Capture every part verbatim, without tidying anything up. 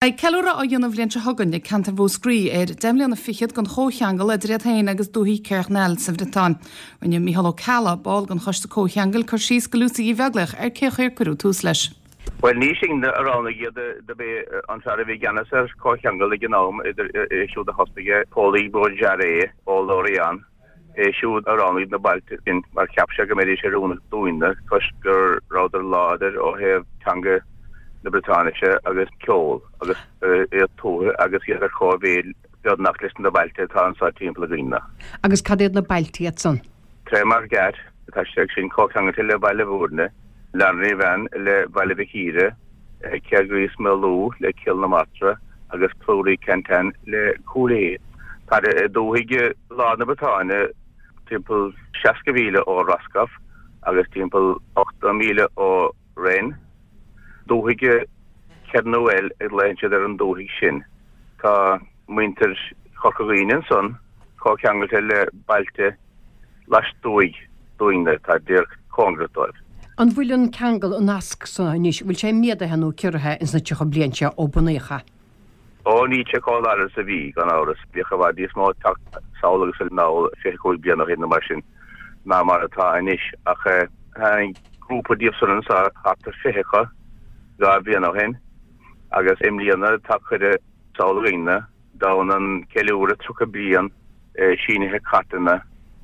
Beidh ceiliúradh á dhéanamh an bhliain seo chugainn ag ceantar Mhúscraí ar deich mbliana fichead den chomhcheangal idir iad féin agus dúthaigh Kerguelen sa Bhriotáin. Rinne Mícheál Ó Ceallaigh, ball den choiste comhcheangail, cur síos do Lucy Uí Bheaglaoich ar cén chaoi ar cuireadh tús leis. Bhuel ní sinne a roghnaigh iad do b'é an fear a bhí i gceannas ar comhcheangal ag an am idir é siúd a thosnaigh é, Paul Bourget ó Lorient. É siúd a roghnaigh na bailte sin mar cheap sé go mbeidís oiriúnach dúinne toisc go rabhadar láidir ó thaobh teanga na Briotáinise agus ceol agus iad tuaithe agus iad ar cóimhéid beagnach leis na bailte atá anseo timpeall againne. Agus cad iad na bailte iad san? Trémargat, tá sé sin comhcheangailte le Baile Bhúirne, Lanrivan le Baile Mhic Íre, Kergrist-Melou le Cill na Martra agus Plouérinquentin le Cúil Aodha. Tá dúthaigh lár na Briotáine timpeall seasca mhíle ó Roscoff agus timpeall ochtó míle ó Rennes. Dúthaigh Kernuel a ghlaonn siad ar an dúthaigh sin. Tá muintir Chorca Dhuibhne ansan comhcheangailte le bailte lastuaidh dúinne, tá díreach cóngarach dóibh. An bhfuil an ceangal, an nasc so anois, bhfuil sé méadaithe nó ciorraithe ins na tríocha bliain seo ó bunaíodh é? Ó níl sé chomh láidir is a bhí, gan amhras. Bhíodh i bhfad níos mó ag teacht sall agus anall fiche cúig bliain ó shin nó mar sin ná mar atá anois. Ach tháinig grúpa díobh san anseo, thart ar fiche acu, dhá bhliain ó shin agus i mbliana tá cuireadh sall againne d'fhonn an ceiliúradh tríocha bliain sínithe cairteanna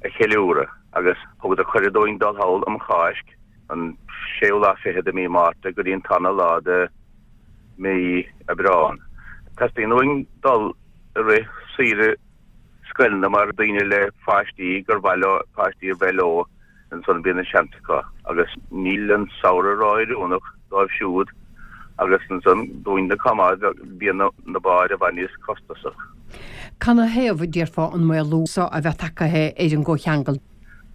a cheiliúradh agus thugadar cuireadh dúinn dul thall um Cháisc, an séú lá fichead de mí Márta go dtí an tarna lá de mí Aibreán. Teastaíonn uainn dul i rith saoire scoileanna mar daoine le pháistí gur mhaith leo páistí a bheith leo ansan bíonn an seans acu agus níl an samhradh ró-oiriúnach dóibh siúd agus ansan dúinne chomh maith bíonn na báid i bhfad níos costasach. Canathaobh, a déarfá, an maolú so a bheith tagtha ar an gcomhcheangal?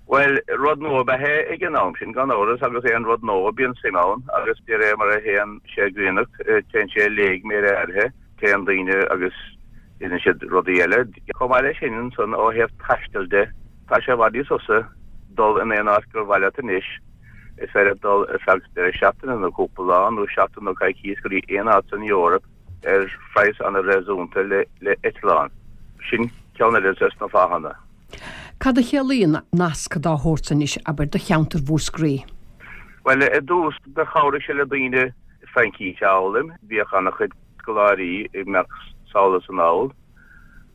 Bhuel, rud nua ab ea é ag an am sin, gan amhras, agus aon rud nua, bíonn suim ann agus de réir mar a théann sé ag griannacht, téann sé i léig méid áirithe, téann daoine agus déanann siad rudaí eile. Chomh maith leis sin, ansan, ó thaobh taistil de, tá sé i bhfad níos fusa dul in aon áit gur mhaith leat anois. Is féidir leat dul ar feadh deireadh seachtaine nó cúpla lá nó seachtain nó coicís go dtí aon áit san Eoraip ar phraghas an-réasúnta le eitleán. Sin ceann eile des na fáthanna. Cad a chiallaíonn nasc dá shórt san anois, abair, do cheantar Mhúscraí? Bhuel, i dtús do chabhraigh sé le daoine Fraincís a fhoghlaim. Bhíodh an-chuid scoláirí ag imeacht sall is anall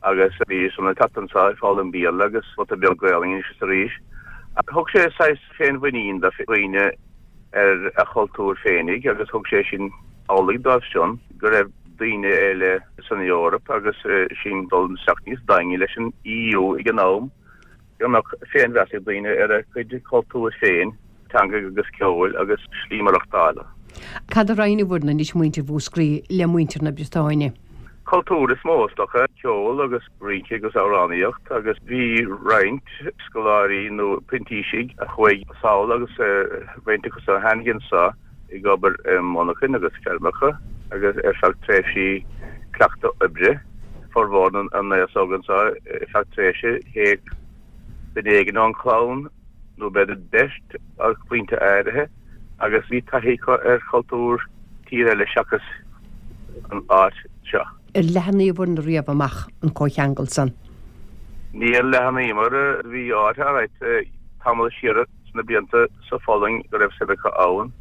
agus bhídís san ag teacht anseo ag foghlaim Béarla agus pota beag Gaelainne anois is arís. Thug sé saghas féinmhuinín do dhaoine ar a chultúr féinig agus thug sé sin amhlaidh dóibh sin go raibh daoine eile san Eoraip agus sinn dul isteach níos daingne leis an EU ag an am, go mbeadh féinmheas ag daoine ar a gcuid cultúir féin, teanga agus ceoil agus slí maireachtála. Cad a roinneann anois muintir Mhúscraí le muintir na Briotáine? Cultúr is mó is dócha, ceol agus rince agus amhránaíocht agus bhí roinnt scoláirí nó printísigh a chuaigh sall agus roinnt acu a tháinig anseo ag obair i monarchain agus feirmeacha agus ar feadh tréimhsí cleachtadh oibre, formhór na n-aos óg anseo ar feadh tréimhse théadh duine éigin ón chlann nó b'fhéidir beirt ag pointe áirithe agus bhí taithí acu ar chultúr tír eile seachas an áit seo. Ar leathnaíobhair riamh amach an comhcheangal san? Níor leathnaíomar, bhí áit alright tamall siar sna blianta sa Pholainn go raibh suim acu ann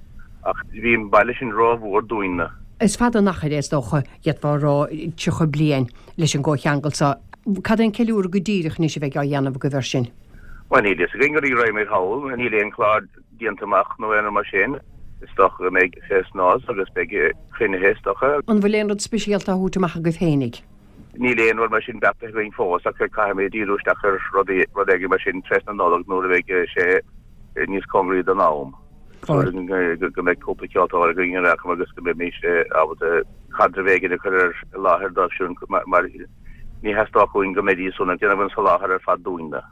ach bhí an baile sin rómhór dúinne. Is fada an achar é is dócha, d'fhéadfá a rá, tríocha bliain leis an gcomhcheangal seo. Cad é an ceiliúradh go díreach anois a bheidh á dhéanamh agaibh air sin? Bhuel, níl fhios againn go dtí go raghaimid thall, níl aon chlár déanta amach nó aon rud mar sin. Is dócha go mbeidh fest-noz agus beidh cruinnithe is dócha. An bhfuil aon rud speisialta á thabhairt amach agaibh féinig? Níl aon rud mar sin beartaithe againn fós ach caithfimid díriú isteach ar rudaí, rud éigin mar sin trasna Nollag nuair a bheidh sé níos cóngaraí don am. Go mbeidh cúpla ceoltóir againn ar aon agus go mbeimís ábalta caidreamh éigin a chur ar láthair dóibh siúd mar ní theastódh uainn go mbeidís ag déanamh an soláthar ar fad dúinne.